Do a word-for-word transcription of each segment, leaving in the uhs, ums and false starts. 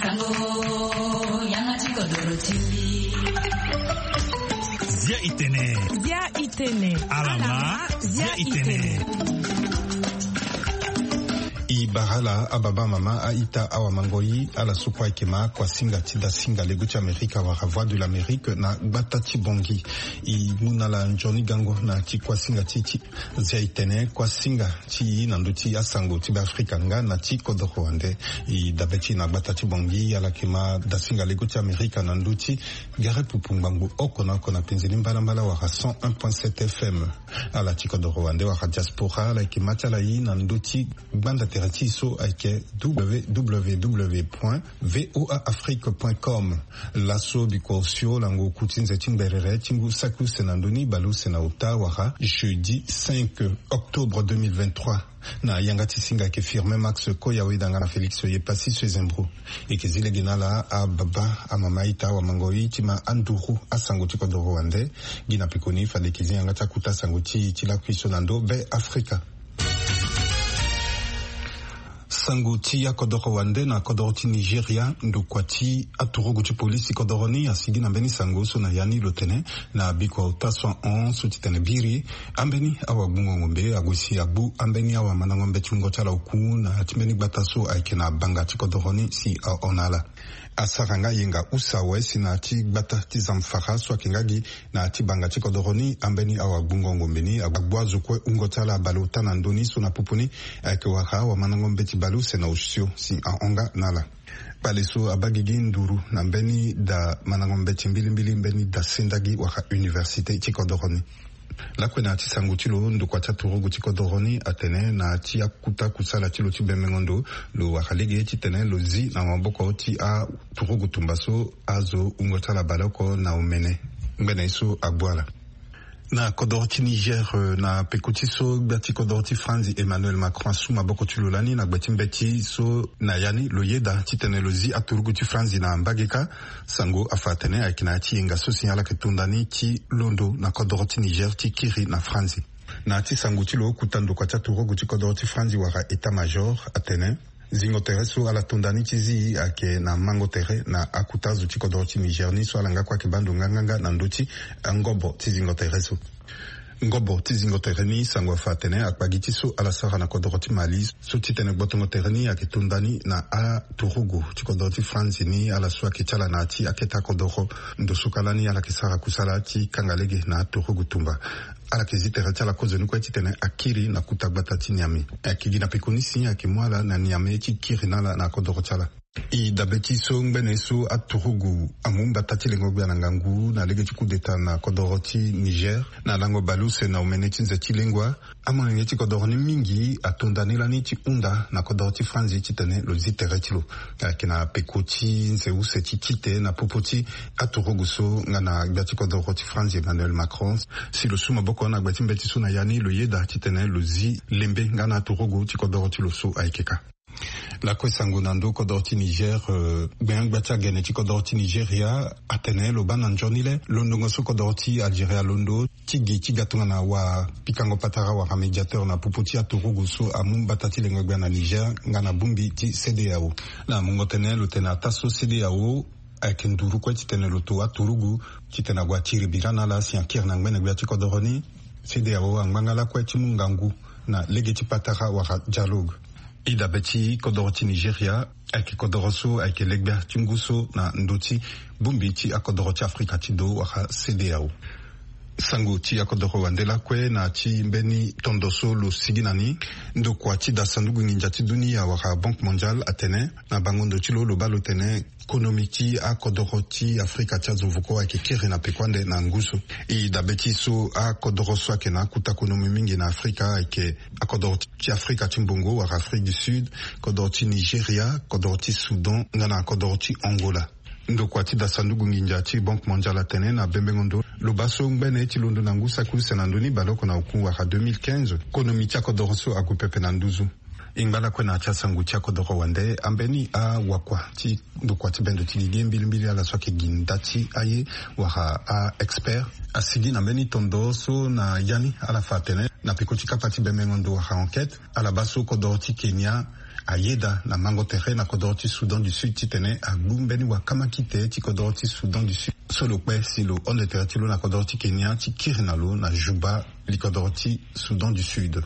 Sango, yanga ti kodoro ti mbi. Zia itene. Zia itene. Alama, zia itene. I bara ala ababa, amama, a-ita, awamangoi, ala so kue ayeke ma kuasinga ti dasinga lego ti Amerika wala Voix de l'Amérique na gbata ti Bongi. I mu na ala nzoni gango na ti kuasinga ti ti Zia itene, kuasinga ti i na ndö ti asango ti Beafrika nga na ti kodoro wande. I dabe ti i na gbata ti Bongi, ala yeke ma dasinga lego ti Amerika na ndö ti gere pupu ngbangbo oko na oko na penze ni mbalambala wala cent un point sept F M. Ala ti kodoro wande wala diaspora, ala yeke ma ti ala i na ndö ti gbanda tere ti i so ayeke W W W point V O A Afrique point com. Laso bikua osio lango oku ti nze ti ngberere ti ngu saki use na ndö ni bale use na ota wala jeudi cinq octobre deux mille vingt-trois. Na yanga ti singa ayeke Firmin Max Koya Wedanga na Félix Yepassi Sezembro. E yeke zi lege na ala ababa, amama, a-ita, awamangoi, ti ma anduru asango ti kodoro wande. Gi na pekoni fade e yeke zi yanga ti akuta sango ti, ti lakui so na ndö Beafrika. Sango ti akodoro wande na kodoro ti Nigeria, ndokua ti aturugu ti polisi kodoro ni asigi na mbeni sango so na ya ni lo tene na bikua ota so ahon so ti tene biri ambeni awagbungo ngombe ague si agbu ambeni awamandango mbeti wungo ti ala oku na ya ti mbeni gbata so ayeke na banga ti kodoro ni si ahon na ala. Asara nga yenga use awe si na ya ti gbata ti Zamfara so ayeke nga gi na ya ti banga ti kodoro ni, ambeni awagbungo ngombe ni agbu azo kue wungo ti ala baleota na ndö ni so na popo ni ayeke wara awamandango mbeti baleuse na osio si ahon nga na ala. Kpale so abaa gigi nduru na mbeni da mandango mbeti mbilimbili, mbeni da sendagi wala université ti kodoro ni. Lakue na ya ti sango ti lo, ndokua ti aturugu ti kodoro ni atene na ya ti akuta kusala ti lo ti bembengo ndo, lo wara lege titene lo zi na maboko ti aturugu tumba so azo wungo ti ala baleoko na omene ngbene ye so agbu ala. Na kodoro ti Niger, eh, na peko ti so gbia ti kodoro ti Franzi Emmanuel Macron asu maboko ti lo lani na gbe ti mbeti so na ya ni lo yeda titene lo zi aturugu ti Franzi na mbage kâ. Sango afa atene ayeke na ya ti yenga so si ala yeke to nda ni ti londo na kodoro ti Niger ti kiri na Franzi. Na ya ti sango ti lo, kuta ndokua ti aturugu ti kodoro ti Franzi wala état-major atene zingo tere so ala to nda ni ti zi ayeke na mango tere na akuta azo ti kodoro ti Niger ni so ala nga kue ayeke baa ndo nganganga na ndö ti angobo ti zingo tere so. Ngobo ti zingo tere ni, sango afa atene akpagi ti so ala sara na kodoro ti Mali so titene gbotongo tere ni ayeke to nda ni na aturugu ti kodoro ti Franzi ni, ala so ayeke ti ala na ya ti akete akodoro. Ndo so kâ lani ala yeke sara kusala ti kanga lege na aturugu tumba. Ala yeke zi tere ti ala kozoni kue titene akiri na kuta gbata ti Niamey. Ayeke gi na peko ni si ayeke mu ala na Niamey ti kiri na ala na kodoro ti ala. I dabe ti so ngbene so aturugu amu mbata ti lengo gbia na ngangu na lege ti coup d'état na kodoro ti Niger na lango baleuse na omene ti nze ti lengua. Amolenge ti kodoro ni mingi ato nda ni lani ti hunda na kodoro ti Franzi titene lo zi tere ti lo. Ayeke na peko ti nze use ti kite na popo ti aturugu so nga na gbia ti kodoro ti Franzi Emmanuel Macron si lo su maboko na gbe ti mbeti so na ya ni lo yeda titene lo zi lembe nga na aturugu ti kodoro ti lo so ayeke kâ. Lakue sango na ndö kodoro ti Niger, eh, gbengbia ti agene ti kodoro ti Nigeria atene lo baa na nzoni le londongo so kodoro ti Algérie alondo ti gi ti ga tongana wapikango patara wala médiateur na popo ti aturugu so amu mbata ti lengo gbia na Niger nga na bongbi ti CEDEAO. Na mungo tënë lo tene ataa so CEDEAO ayeke nduru kue titene lo to aturugu titene ague atiri bira na ala si akiri na ngbene gbia ti kodoro ni. CEDEAO angba nga lakue ti mu ngangu na lege ti patara wala dialogue. I dabe ti kodoro ti Nigeria ayeke kodoro so ayeke legbia ti ngu so na ndö ti bongbi ti akodoro ti Afrika ti do wala CEDEAO. Sango ti akodoro wande lakue na ti mbeni tondo so lo sigi na ni. Ndokua ti da sanduku nginza ti dunia wala Banque Mondiale atene na bango ndo ti lo lo baa lo tene konomi ti akodoro ti Afrika ti azo voko ayeke kiri na peko ande na ngu so. E dabe ti so akodoro so ayeke na akuta konomi mingi na Afrika ayeke akodoro ti Afrika ti mbongo wala Afrique du Sud, kodoro ti Nigeria, kodoro ti Soudan nga na kodoro ti Angola. Ndokua ti da sanduku nginza ti Banque Mondiale atene na bembengo ndo lo baa so ngbene ti londo na ngu saki use na ndö ni baleoko na oku wala deux mille quinze, konomi ti akodoro so ague pepe na nduzu. E ngba lakue na ya ti asango ti akodoro wande ambeni awakua ti ndokua ti bendo ti gigi mbilimbili ala so ayeke gi nda ti aye wala a-expert asigi na mbeni tondo so na ya ni ala fa atene na peko ti kapa ti bembengo ndo wala enquête, ala baa so kodoro ti Kenya Ayeda na mango tere na kodoro ti Soudan du Sud titene agbu mbeni wakamakite ti kodoro ti Soudan du Sud so lo kpe si lo hon tere ti lo na kodoro ti Kenya ti kiri na lo na Juba, li kodoro ti Soudan du Sud.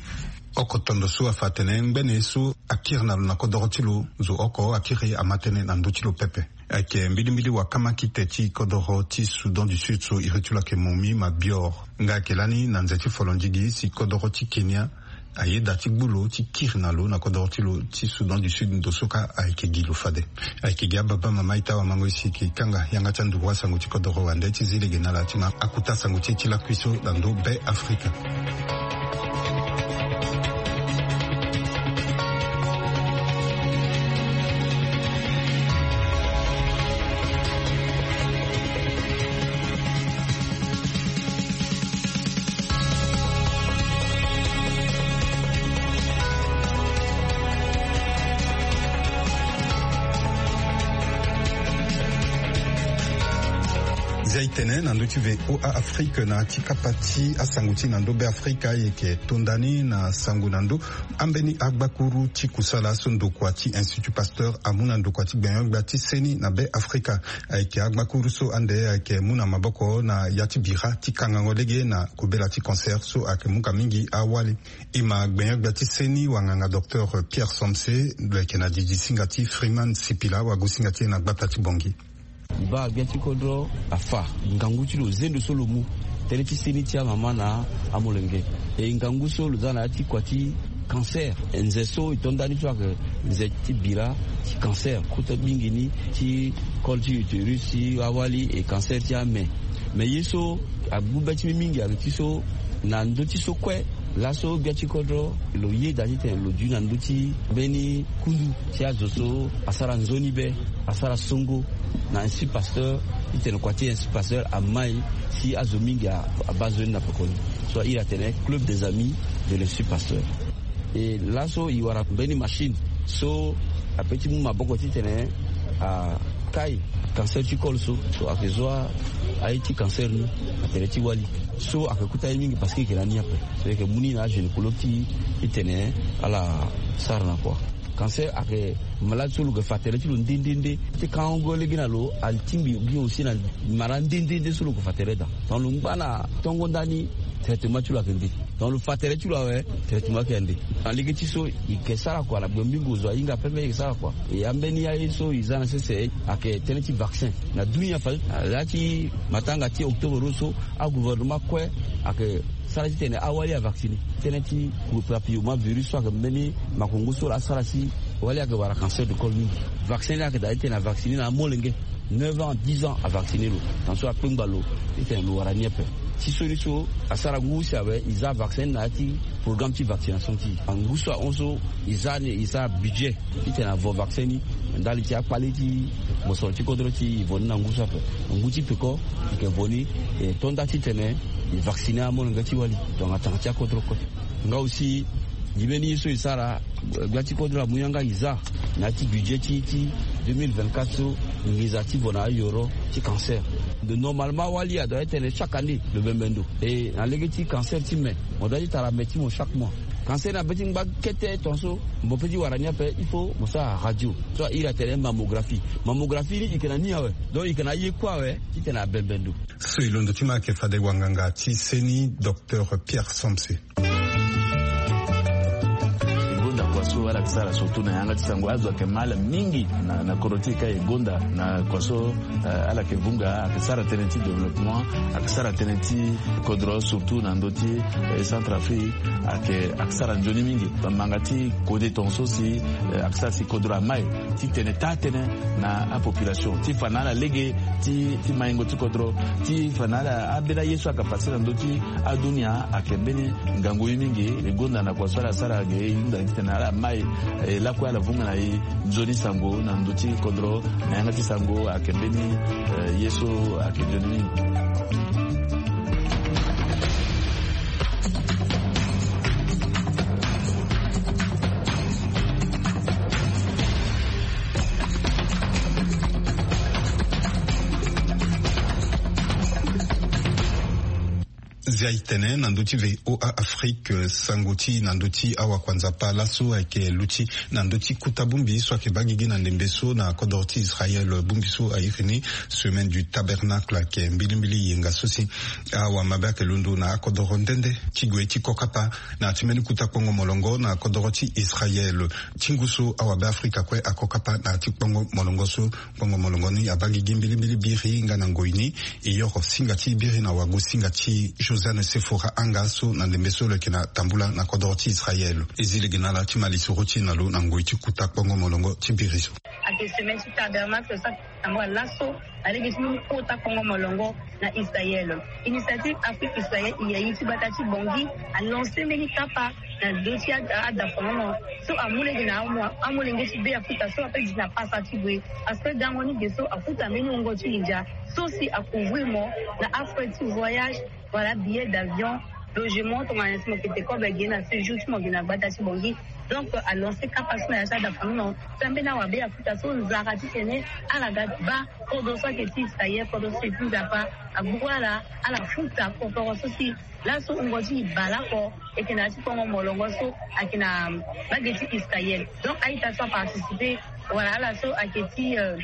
Oko tondo so afa atene ngbene so akiri na lo na kodoro ti lo, zo oko akiri ama tënë na ndö ti lo pepe. Ayeke mbilimbili wakamakite ti kodoro ti Soudan du Sud so iri ti lo ayeke Momi Mabior. Nga ayeke lani na nze ti folondigi si kodoro ti Kenya ayeda ti gbu lo ti kiri na lo na kodoro ti lo ti Soudan du Sud ndo so kâ ayeke gi lo fade. Ayeke gi ababa mama ita wamango isi eke kanga yanga ti anduru asango ti kodoro wande ti zi lege na ala ti ma akuta sango ti e ti lakui so na ndo Be Afrika. Zia e tene na ndö ti V O A Afrique na ya ti kapa ti asango ti na ndö Be Afrika. E yeke to nda ni na sango na ndö ambeni agbakuru ti kusala so ndokua ti Institut Pasteur amu na ndokua ti gbenyo-gbia ti seni na Be Afrika. Ayeke agbakuru so ande ayeke mu na maboko na ya ti bira ti kangango lege na kobela ti cancer so ayeke mu ka mingi awali. E ma gbenyo-gbia ti seni wanganga docteur Pierre Somse, lo yeke na didi singa ti Freeman Sipila, wagosinga ti e na gbata ti Bangui. E baa gbia ti kodro afa ngangu ti lo zendo so lo mu tënë ti seni ti amama na amolenge. E ngangu so lo za na ya ti kua ti cancer, nze so e to ndani so ayeke nze ti bira ti cancer kota mingi ni ti col ti utérus ti awali e cancer ti ame. Me ye so agbu be ti mbi mingi ayeke ti so na ndö ti so kue laso gbia ti kodro lo yeda titene lo dui na ndö ti mbeni kundu ti azo so asara nzoni be, asara songo na Institut Pasteur, titene kua ti Institut Pasteur amai si azo mingi a- abaa nzoni na pekoni. So a iri atene Club des Amis de l'Institut Pasteur. E laso e wara mbeni machine so ape ti mu maboko titene akai cancer ti col so, so ayeke zo a- aye ti cancer ni na tere ti wali. So ayeke kuta ye mingi parce que e yeke na ni ape. So e yeke mu ni na agynécologue ti e titene ala sara na kua. Cancer ayeke malade so lo yeke fa tere ti lo nde nde nde. Ti kango lege na lo atingbi gi aussi na mara nde nde nde so lo yeke fa tere daa. Donc lo ngba na tongo ndani, traitement ti lo ayeke nde. Donc lo fa tere ti lo awe, traitement ayeke ande. Na lege ti so e yeke sara kua na gbengbingo zo ahinga pepe e yeke sara kua. E ambeni aye so e za na sese ayeke tënë ti vaccin. Na dunia fa na ya ti matanga ti octobre so agouvernement kue ayeke sara titene awali avacciner tënë ti papillomavirus so ayeke mbeni makongo so laa asara si wali ayeke wara cancer du col mingi. Vaccin ni ayeke daa titene avacciner na amolenge neuf ans, dix ans avacciner lo. Tongaso akpengba lo titene lo wara ni ape. Ti so ni so asara ngu si awe e za vaccin ni na ya ti programme ti vaccination ti e. Ngu so ahon so e za ni e za budget titene avo vaccin ni ndali ti akpale ti mosoro ti kodro ti e vo ni na ngu so ape. Ngu ti peko e yeke vo ni e to nda titene e vacciner amolenge ti wali tongana tanga ti akodro kue. Nga aussi e mbeni ye so e sara gbia ti kodro amu yanga e za na ya ti budget ti ti deux mille vingt-quatre so nginza ti vo na ayoro ti cancer. Donc normalement awali adoit tene chaque année lo bembe ndo. E na lege ti cancer ti me mo doit ti tara me ti mo chaque mois. Cancer na be ti ngba kete tongaso mo pe ti wara ni ape il faut mo sara radio so a iri atene mammographie. Mammographie ni e yeke na ni awe. Donc e yeke na aye kue awe titene abembe ndo. So e londo ti ma ayeke fade wanganga ti seni docteur Pierre Somse. E gonda kua so ala yeke sara surtout na yanga ti sango azo ayeke ma ala mingi na, na kodro ti e ka e gonda na kua so, eh, ala yeke vunga ayeke sara tënë ti développement, ayeke sara tënë ti kodro surtout na ndö ti, eh, Centrafrique ayeke, ayeke sara nzoni mingi. Bamanga ti kode tongaso si, eh, ayeke sara si kodro amai titene taa tënë na apopulation ti fa na ala lege ti, ti maingo ti kodro ti fa na ala ambeni aye so ayeke pase na ndö ti adunia ayeke mbeni ngangu ye mingi. E gonda na kua so ala sara ge e hunda titene ala mai, eh, lakue ala vunga na e nzoni sango na ndö ti kodro na yanga ti sango ayeke mbeni, eh, ye so ayeke nzoni mingi. Zia itene na ndö ti V O A Afrique, sango ti na ndö ti awakuanzapa laso ayeke luti na ndö ti kuta bongbi so ayeke baa gigi na ndembe so na kodoro ti Israel. Bongbi so a iri ni Semaine du Tabernacle ayeke mbilimbili yenga so si awamabe ayeke londo na akodoro nde nde ti gue ti kokapa na ya ti mbeni kuta kpongo molongo na kodoro ti Israel. Ti ngu so awabe Afrika kue akokapa na ya ti kpongo molongo so. Kpongo molongo ni abaa gigi mbilimbili biri nga na ngoi ni. E yoro singa ti biri na wago singa ti Josiane Sefora Anga so na ndembe so lo yeke na tambula na kodoro ti Israel. E zi lege na ala ti ma lisoro ti e na lo na ngoi ti kuta kpongo molongo ti biri so. Ayeke semaine ti Tabernacle so ayeke tambula laso na lege ti mbeni kuta kpongo molongo na Israel. Initiative Afrique Israel, e yayi ti gbata ti Bangui, a lancé mbeni kapa na ndö ti ada, ada fango so amu lege na amo, amolenge ti Beafrika so ape gi na pasa ti gue. Parce que gango ni ge so akuta mbeni wungo ti nginza so si a couvrir mo na afrais ti voyage, voilà, billet d'avion, logement, tongana si mo yeke te kobe ge na séjour ti mo ge na gbata ti Bangui. Donc a lancé kapa so na ya ti ada fango so ambeni awabe Afrika so nzara titene ala ga ti baa kodro so ayeke ti Israel, kodro so ayeke ti Nzapa, agbu ala, ala futa kokoro so si laso wungo ti e bale oko. E yeke na ya ti kpongo molongo so ayeke na mbage ti Israel. Donc a-ita so aparticiper, wala ala so ayeke ti, euh,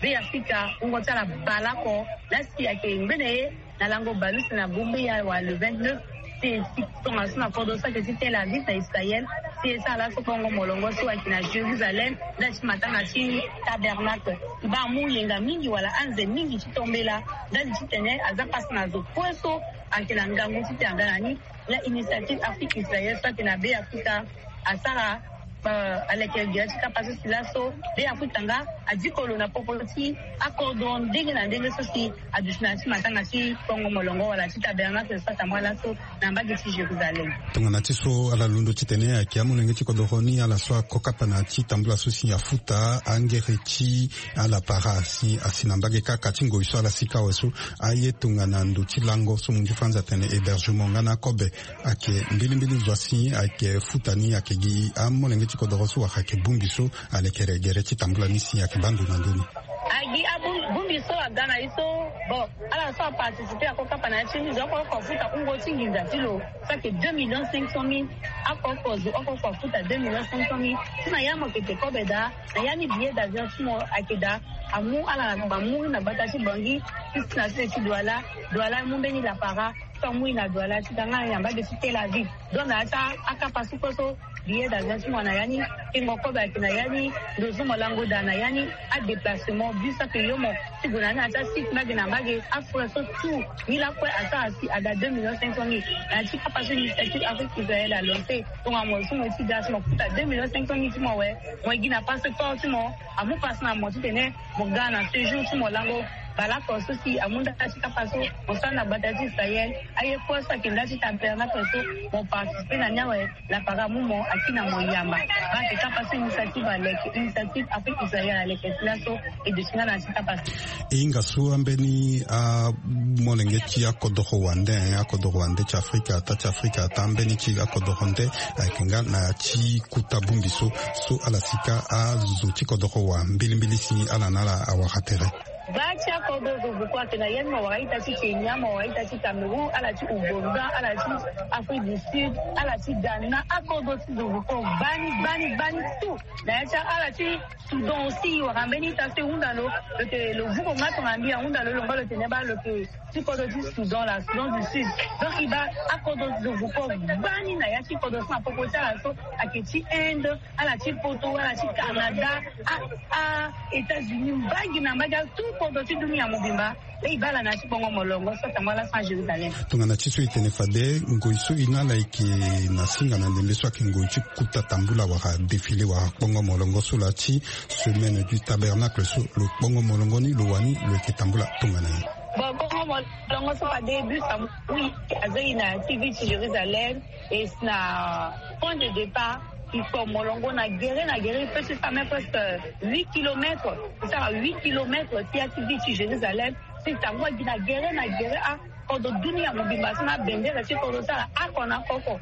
Beafrika, wungo ti ala bale oko. Laa si ayeke ngbene ye na lango bale use na bongbi awe, wala le vingt-neuf, si e si tongaso na kodro so ayeke ti Tel Aviv na Israel, si e sara laso kpongo molongo so ayeke na Jérusalem, nda ti matanga ti Tabernacle. E baa amu yenga mingi wala anze mingi ti tombela, ndali titene aza pasa na zo kue so ayeke na ngangu ti tene aga na ni. La Initiative Afrique Israël so ayeke na Beafrika asara, euh, aleke gere ti kapa so si laso Beafrika nga adiko lo na popo ti akodro ndenge na ndenge so si aduti na ya ti matanga ti kpongo molongo wala ti Tabernacle so atambula laso na mbage ti Jérusalem. Tongana ti so ala londo titene ayeke amolenge ti kodoro ni ala so akokapa na ya ti tambula so si afuta angere ti ala para si asi na mbage kaka ti ngoi so ala sika awe so. Aye tongana ndo ti lango so mo ngi franz atene hébergement nga na akobe ayeke mbilimbili zo asi ayeke futa ni ayeke gi amolenge ti kodoro so wala ayeke bongbi so alekere gere ti tambula ni si ayeke baa ndo na ndö ni. Agi abongbi so aga na ye so, bon, ala so aparticiper akokapa na ya ti ni zo oko oko afuta wungo ti nginza ti lo so ayeke deux millions cinq cent mille. Oko oko zo oko oko afuta deux millions cinq cent mille. So na ya mo yeke te kobe daa, na ya ni billet d'avion ti mo ayeke daa. Amu ala na gba mu na gbata ti Bangui ti si na sese ti Douala. Douala amu mbeni lapara so amu e na Douala ti ga nga na mbage ti Tel Aviv. Donc na ya ti akapa so kue so billet d'avion ti mo na ya ni, kengo kobe ayeke na ya ni, ndo zo mo lango daa na ya ni, adéplacement, bus ayeke yo mo ti gue na ni na ya ti asite mbage na mbage, afrais so tout. Ni lakue asara si ada deux millions cinq cent mille. Na ya ti kapa so Initiative Afrique Israël a lancé, tongana mo so mo ye ti ga so mo futa deux millions cinq cent mille ti mo awe, mo ye gi na passeport ti mo, amu pasi na mo titene mo ga na séjour ti mo lango. Bale oko so si amu nda ti kapa so mo sara na gbata ti Israël, aye kue so ayeke nda ti Tabernacle so mo participer na ni awe. Lapara amu mo, akiri na mo yamba. Baa ayeke kapa so Initiative aleke, Initiative Afrique Israël aleke ti laso. E duti nga na ya ti kapa so. E hinga so ambeni amolenge ti akodoro wande, akodoro wande ti Afrika, ata ti Afrika, ata ambeni ti akodoro nde ayeke nga na ya ti kuta bongbi so, so ala sika azo ti kodoro wa mbilimbili si ala na ala awara tere. Baa ti akodro zo vuko ayeke na ya ni, mo wara ita ti Kenya, mo wara ita ti Cameroun, ala ti Ouganda, ala ti Afrique du Sud, ala ti Ghana, akodro ti zo vuko gbani gbani gbani tout. Na ya ti ala ti Soudan aussi, wara mbeni ita so e hunda lo, lo yeke lo vuko nga tongana mbi ahunda lo, lo ngba lo tene baa lo yeke ti kodro ti Soudan, la Soudan du Sud. Donc e baa akodro ti zo vuko gbani na ya ti kodro so na popo ti ala so ayeke ti Inde, ala ti poto, ala ti Canada, a, a États-Unis, mbage na mbage, tout kodro ti dunia mobimba. Laa e baa ala na ya ti kpongo molongo so atambula ala so na Jérusalem. Tongana ti so e tene fade, ngoi so e na ala ayeke na singa na ndembe so ayeke ngoi ti kuta tambula wala défilé wala kpongo molongo so laa ti Semaine du Tabernacle so, lo kpongo molongo ni lo wani lo yeke tambula tongana nyen? Bon, kpongo molongo so fade bus amu e, aza e na ya ti ville ti Jérusalem. E si na point de départ, e kpo molongo na gere na gere, e peut ti sara même presque huit kilomètres. E sara huit kilomètres ti ya ti ville ti Jérusalem. Si e tambula gi na gere na gere, a, kodro dunia mobimba so na bendere ti kodro ti ala oko na oko.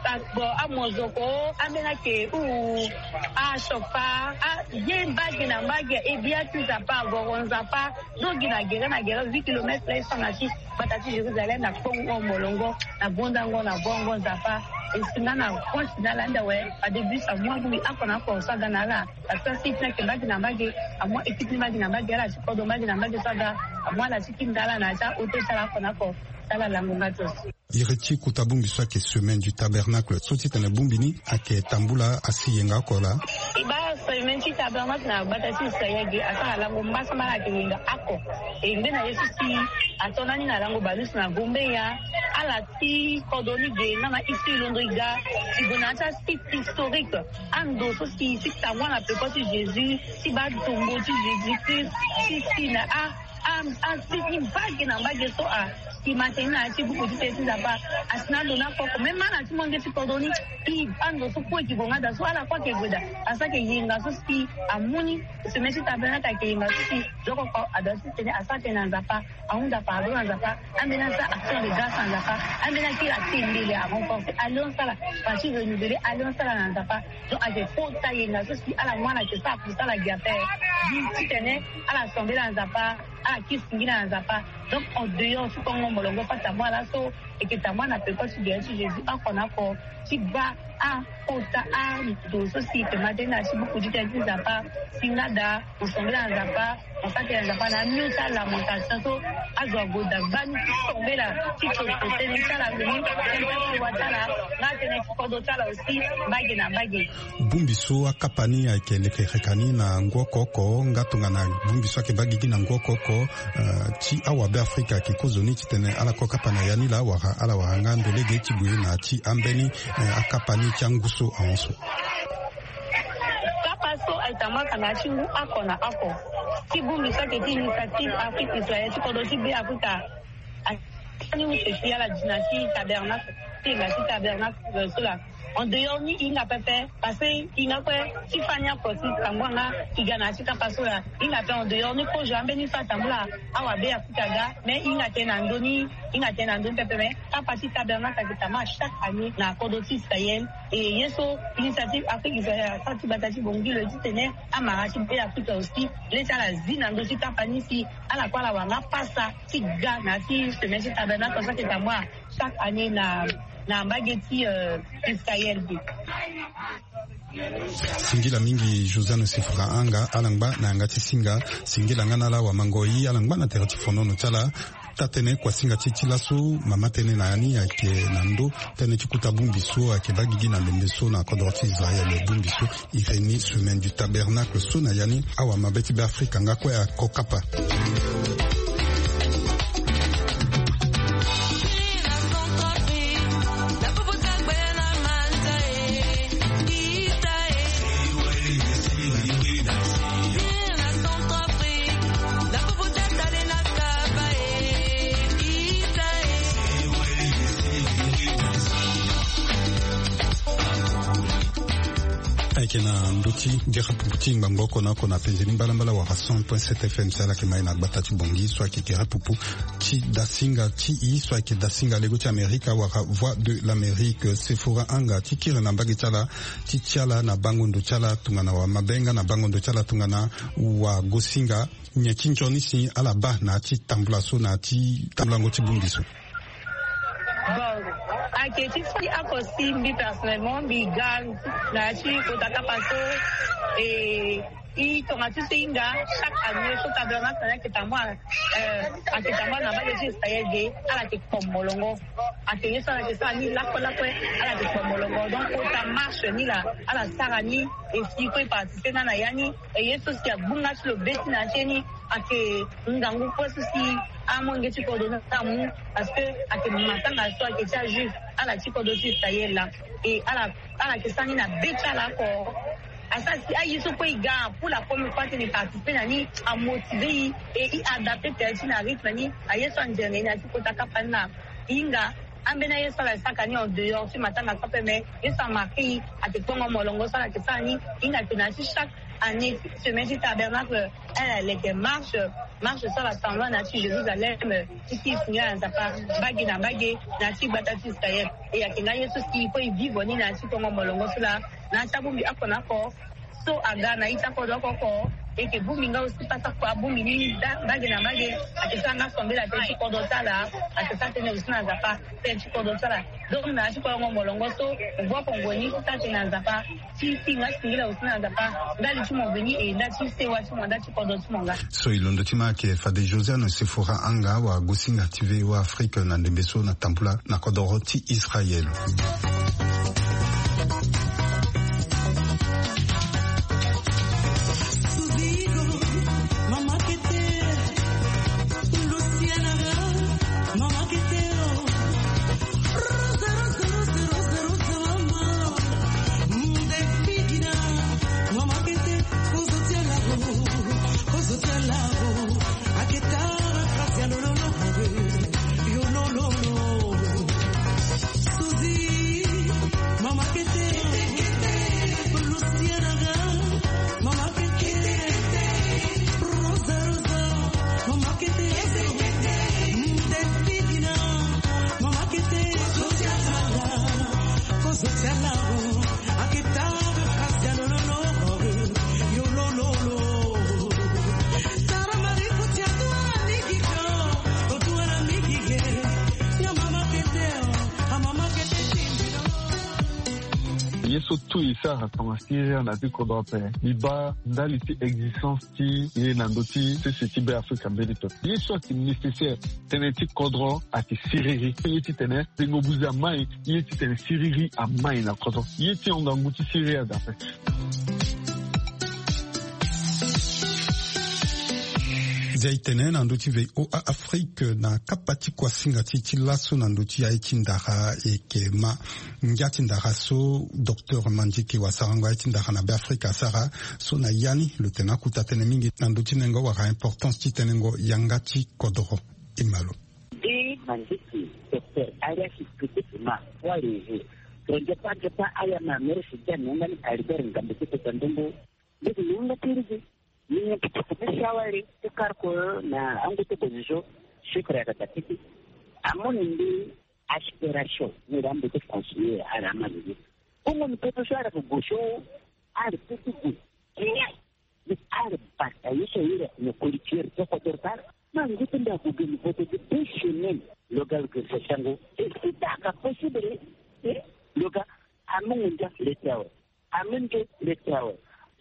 Parce que amozoko ambeni ayeke uu, achopa aye mbage na mbage, ebia ti Nzapa, agoro Nzapa. Donc gi na gere na gere huit kilomètres la e so na ti gbata ti Jérusalem na kpongo molongo, na gondango na bongo Nzapa. E si nga na point si na ala nda we, adébut sa mua bongbi oko na oko so aga na ala. Parce que si ti na yeke mbage na mbage, amua équipe ni mbage na mbage, ala ti kodro mbage na mbage so aga, amua ala ti kiri nda ala na ya ti aoto ti ala oko na oko. Ti ala lango nga tos. Iri ti kota bongbi so ayeke Semaine du Tabernacle so titene bongbi ni ayeke tambula asi yenga oko laa. E baa Semaine ti Tabernacle na gbata ti Israël ge asara lango mbasambala ayeke yenga oko. E ngbene ye so si ato na ni na lango balusu na Gombeya, ala ti kodro ni ge nga na isi londo e ga ti gue na ya ti asite historique. Ando so si si tambula na peko ti Jésus, ti baa tombeau ti Jésus Christ, ti si na a a a si ni mbage na mbage so a e ma tene ni na ya ti buku ti tene ti Nzapa. A si na ando ni oko oko même ala ti molenge ti kodro ni. E ando so kue e ke gue nga daa so ala kue ayeke gue daa. A sara ayeke yenga so si amu ni Semaine ti Tabernacle ayeke yenga so si zo oko oko a doit ti tene a sara tënë na Nzapa. Ahunda pardon na Nzapa. Ambeni asara action de grâce na Nzapa. Ambeni akiri atendele, a renforcer alliance ti ala, parti renouveler alliance ti ala na Nzapa. Donc ayeke kota yenga so si ala mu ala yeke sara kusala gi ape. Gi titene ala sambela na Nzapa, ala kiri singila na Nzapa. Donc en dehors ti kongo molongo fata mu ala so e yeke tambula na peko ti gere ti Jésus oko na oko ti baa akota ando so si e yeke ma tënë na ya ti buku ti tene ti Nzapa. Si nga daa mo sambela na Nzapa, mo sara tënë na Nzapa na amio ti alamentation so azo ague daa gbani ti sambela ti toto tënë ti ala lo ni, tënë ti asewa ti ala, nga tënë ti kodro ti ala aussi mbage na mbage. Bongbi so akapa ni ayeke lekereka ni na ngu oko oko nga tongana bongbi so ayeke baa gigi na ngu oko oko. Eh, ti awabe Afrika ayeke kozoni titene ala ko kapa na ya ni laa wala ala wara nga ndo lege ti gue na ya ti ambeni, eh, akapa ni ti angu so ahon so. Kapa so ayeke tambula na ya ti ngu oko na oko ti bongbi so ayeke ti Initiative Afrique Israël ti kodro ti Be Afrika. Ayeke ni use ti ala di na ti tabernacle, ti yenga ti tabernacle so laa. En dehors ni e hinga pepe, parce que e hinga kue ti fani oko ti tambula nga e ga na ya ti kapa so laa. E hinga ape en dehors ni kozo ambeni so atambula awabe Afrika aga, mais e hinga tënë na ndö ni, e hinga tënë na ndö ni pepe, mais kapa ti tabernacle ayeke tambula chaque année na kodro ti Israël. E ye so Initiative Afrique Israël asara ti gbata ti Bangui lo ye titene amara ti Be Afrika aussi le ti ala zi na ndö ti kapa ni si ala kue ala wara nga pasa ti ga na ya ti semaine ti tabernacle so ayeke tambula chaque année na, na mbage ti, euh, Israël ge. Singila mingi Josiane Sefora Anga, ala ngba na yanga ti singa. Singila nga na ala wamango-i, ala ngba na tere ti fonono ti ala. Taa-tënë kuasinga ti e ti laso, mama tënë na ya ni ayeke na ndö tënë ti kota bongbi so ayeke baa gigi na lembe so na kodro ti Israël. Bongbi so e iri ni Semaine du Tabernacle so na ya ni awamabe ti Be Afrika nga kue ako kapa. Ayeke na ndö ti gere pupu ti ngbangbo oko na oko na penze ni mbalambala wala cent point sept F M si ala yeke ma e na gbata ti Bangui so ayeke gere pupu ti dasinga ti e so ayeke dasinga lego ti Amerika wala Voix de l'Amérique. Sefora Anga ti kiri na mbage ti ala ti ti ala na bango ndo ti ala tongana wamabe nga na bango ndo ti ala tongana wagosinga. Nyen ti nzoni si ala baa na ya ti tambula so na ya ti tambulango ti bongbi so? Bon, ayeke ti fani oko si mbi personnellement mbi ga na ya ti kota kapa so. E, e tongaso e hinga chaque année so tabernacle na ni ayeke tambula, eh, ayeke tambula na mbage ti Israël ge, ala yeke kpo molongo. Ayeke ye so ala yeke sara ni lakue lakue, ala yeke kpo molongo. Donc kota marche ni laa ala sara ni, e si kue e participer nga na ya ni. E ye so si agbunga ti lo be ti na ya ti ye ni ayeke ngangu kue so si amolenge ti kodro ni amu, parce que ayeke matanga so ayeke ti ajuif ala ti kodro ti Israël laa. E ala, ala yeke sara ni na be ti ala oko. Asara si aye so kue e ga pour la première fois titene e participer na ni, amotiver e, e e adapter tere ti e na rythme ni. Aye so anzere na e na ya ti kota kapa ni laa. E hinga Ambeni aye so ala saka ni en dehors ti matanga so ape, mais ye so amarke i ake kpongo molongo so ala ke sara ni. I na ke na ya ti chaque année semaine ti tabernacle, ala leke marche, marche so ala sambla na ya ti Jérusalem, ti si i singila na Nzapa mbage na mbage na ya ti gbata ti Israël. E ake nga ye so si il faut i vivre ni na ya ti kpongo molongo so laa. Na ya ti abongbi oko na oko so aga na ita kodro oko oko. Eke bongbi nga aussi pasa kua bongbi ni mbage na mbage. Ake sara nga sambela tënë ti kodro ti ala. Ake sara tënë aussi na Nzapa tënë ti kodro ti ala. Donc na ya ti kolongo molongo so, ngu oko ngue ni ti sara tënë na Nzapa, ti si nga singila aussi na Nzapa ndali ti mo veni e ndali ti sewa ti mo ndali ti kodro ti mo nga. So e londo ti ma ake fade Josiane Sefora Anga wa gosinga ti V O A Afrique na ndembe so na tambula na kodoro ti Israël. Ye so tout e sara tonga siriri na ti kodro ape. Mbi baa ndali ti existence ti ye na ndö ti sese ti Be Afrika mbeni pepe. Ye so ayeke nécessaire, tënë ti kodro ayeke siriri. Ye titene tengo buze amai, ye titene siriri amai na kodro. Ye ti hon ngangu ti siriri ada ape. Ndia e tene na ndö ti V O A Afrique na kapa ti kuasinga ti e ti laso na ndö ti aye ti ndara e yeke ma. Ngia ti ndara so docteur Mandjike wa sarango aye ti ndara na Be Afrika asara so na ya ni lo tene akuta tënë mingi na ndö ti nengo wala importance ti tenengo yanga ti kodoro. E ma lo. Nde Mandjike, docteur Arias Kete Ema, wali tonze pa nze pa aya ma mere si ja nonga ni Albert Ngambe ti kota ndongo. Ndege ni nga ti rigi. Ni nyen ti poko ti sawali ti kar ko na angu ti position. Sucre ayeke daa tete. Amu ni mbi aspiration ni daa mbi ti conseiller ala ama ni. Bongo ni pepe so ala yeke gue so ala ti ti gue. Kenya ni ala bata ye so ayere ni koli tiere ti kodoro ti ala. Ma ngu ti mbi ague ge ni vote gi deux semaines. Lo ga lo gere sa sango e si ta aka possible. Lo ga amu ngu ndia le ti awe. Amu nde le ti awe.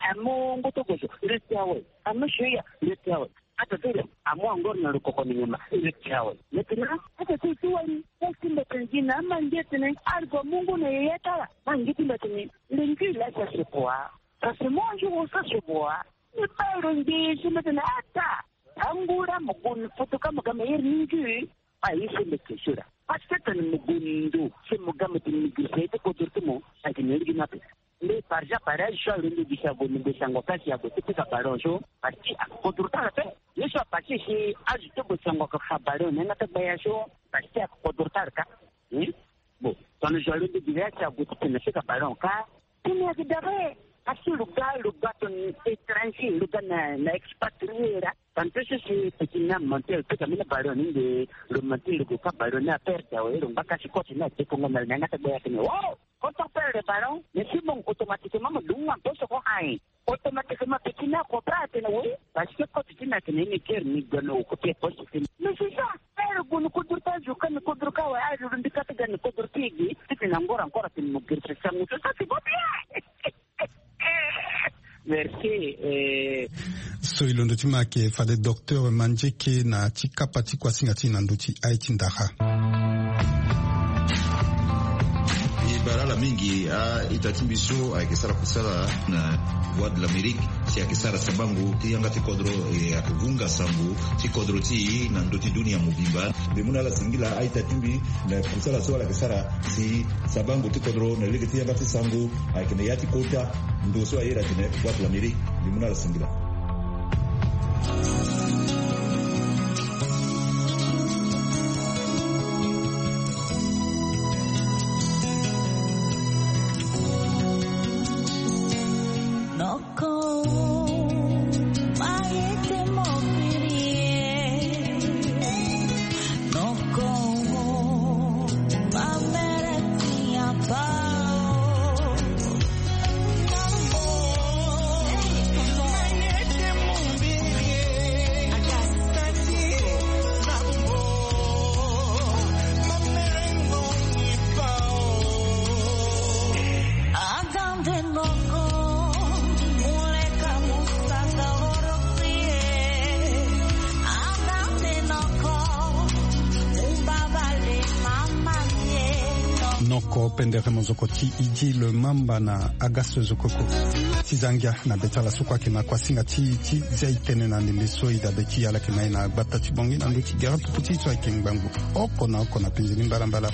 Amu ngoto gozo le ti awe. Amu soya le ti awe. Ata tele amu angor na lukoko ni nyama le ti awe. Maintenant ata tele ti wali. Ata ti mba tene gi na ama nge tene algo mungu na yeye tala. Ma nge ti mba tene le ngi la sa se boa. Sa se mo anjo wo sa se boa. Ni ba ro nge si mba tene ata. Angura mo gun foto ka mo ga me yer ni ngi. Aye so mbi ke so da. Parce que tene mo gue ndo so mo ga mo tene mo giri sa ye ti kodro ti mo. Ayeke na ye lege ni ape. Mbi par exemple aye so alondo gi si ague mbi gue sango ka si ague ti pika ballon so. Parce que akodro ti ala ape. Ye so apasse si azo ti gue sango aka fa ballon na yanga ti gbaya so. Parce que akodro ti ala ka. Bon, tongana zo alondo gi na ya si ague ti tene na pika ballon ka. Tene ayeke dabe. Parce que lo ga lo ga tongana étranger lo ga na na expatrié la. Tantôt so si petit ni amonté lo pika mbeni ballon ni nde lo monté lo gue ka ballon ni aperte awe lo ngba kasi coach ni adekongo na lo na yanga ti gbe atene oh. Quand on perd le ballon mais si mo automatiquement mo dungu nga mpe so ko aye. Automatiquement petit ni akopra atene oui. Parce que coach ti ni atene ye ni guerre ni gue na occuper poste ti ni mais c'est ça. Aye lo gue ni kodro ti azo ka ni kodro ka awe aye lo lo mbi ka ti ga ni kodro ti e ge. Ti tene angora encore atene mo guerre c'est ça mo so ça c'est pas bien. Merci. So e londo ti ma ayeke fade docteur Mandieke na ti kapa ti kuasinga ti e na ndö ti aye ti ndara. E bara ala mingi a-ita ti mbi so ayeke sara kusala na Voix de l'Amérique si ayeke sara sabango ti yanga ti kodro e ayeke vunga sango ti kodro ti e na ndö ti dunia mobimba. Mbi mu na ala singila a-ita ti mbi na kusala so ala yeke sara si sabango ti kodro na lege ti yanga ti sango. Ayeke na ya ti kota ndo so aye da tene Voix de l'Amérique. Mbi mu na ala singila. Oko pendere mozoko ti Idji le Mamba na Agasse Zokoko. Ti za ngia na be ti ala so kue ayeke na kuasinga ti, ti zia e tene na ndembe so e dabe ti ala yeke na e na gbata ti Bangui na ndö ti gere tuku ti so ayeke ngbangbo oko na oko na penze ni mbalambala.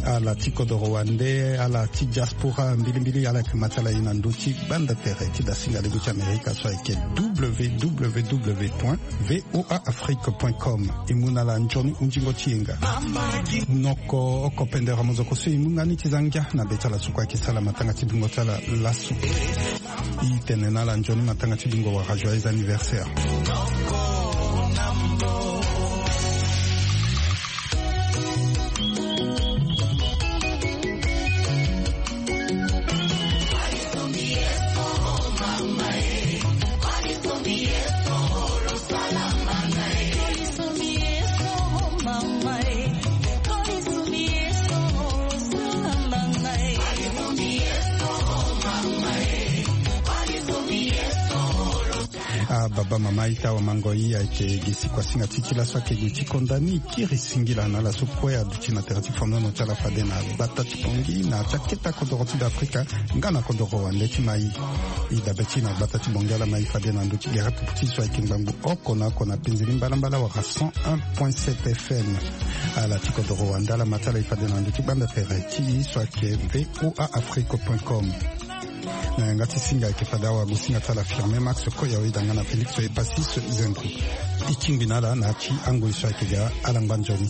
Ala ti kodoro wande, ala ti diaspora mbilimbili, ala yeke ma ti ala e na ndö ti gbanda tere ti dasinga lego ti Amerika so ayeke www point voa afrique point com. E mu na ala nzoni hunzingo ti yenga. Noko oko pendere mozoko so e mu nga ni ti za ngia na be ti ala so kue ayeke sala matanga ti dungo ti ala laso. E tene na ala nzoni matanga ti dungo wala joyeux anniversaire. Ah, baba, mama, ita, awamango, i ayeke gi si kuasinga ti ti laso ayeke gi ti konda ni kiri singila na ala so kue aduti na tere ti fondono ti ala fade na gbata ti Bangui na ti akete akodoro ti Beafrika nga na kodoro wande ti mai. E dabe ti e na gbata ti Bangui, ala mai fade na ndö ti gere tuku ti so ayeke ngbangbo oko na oko na penze ni mbalambala wala cent un point sept F M. Ala ti kodoro wande, ala ma ti ala e fade na ndö ti gbanda tere ti e so ayeke voa afrique point com. Na yanga ti singa ayeke fade awagosinga ti ala Firmin Max Koya, oyeda nga na Félix Epasis Zendro. E tingbi na ala na ya ti angoi so ayeke ga ala ngba nzoni.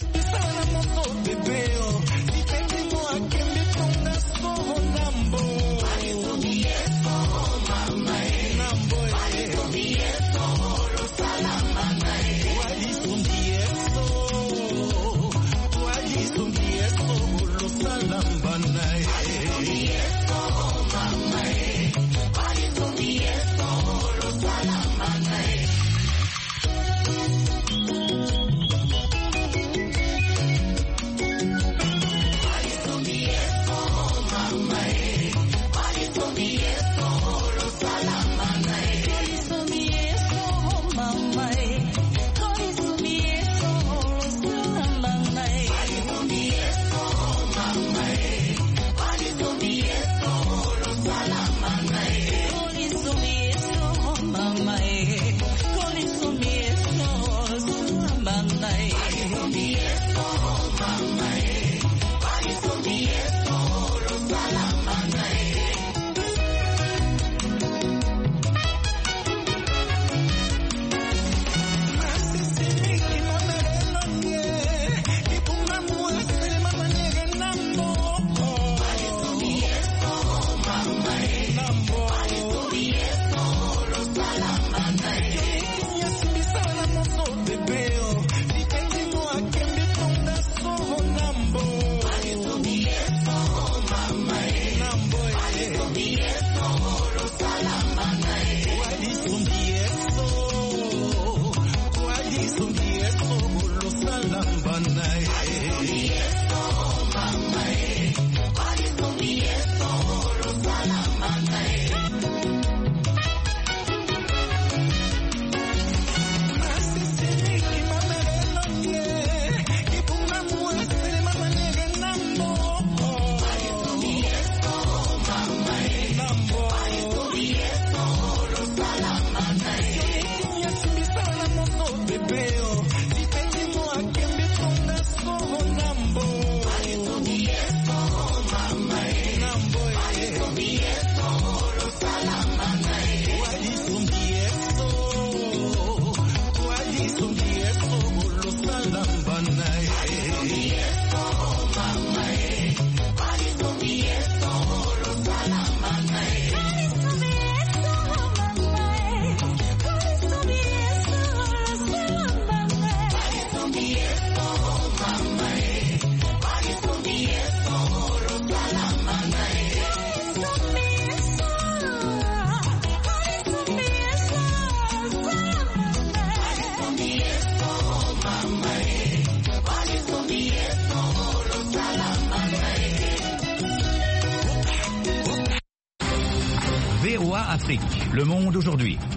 V O A Afrique, le monde aujourd'hui.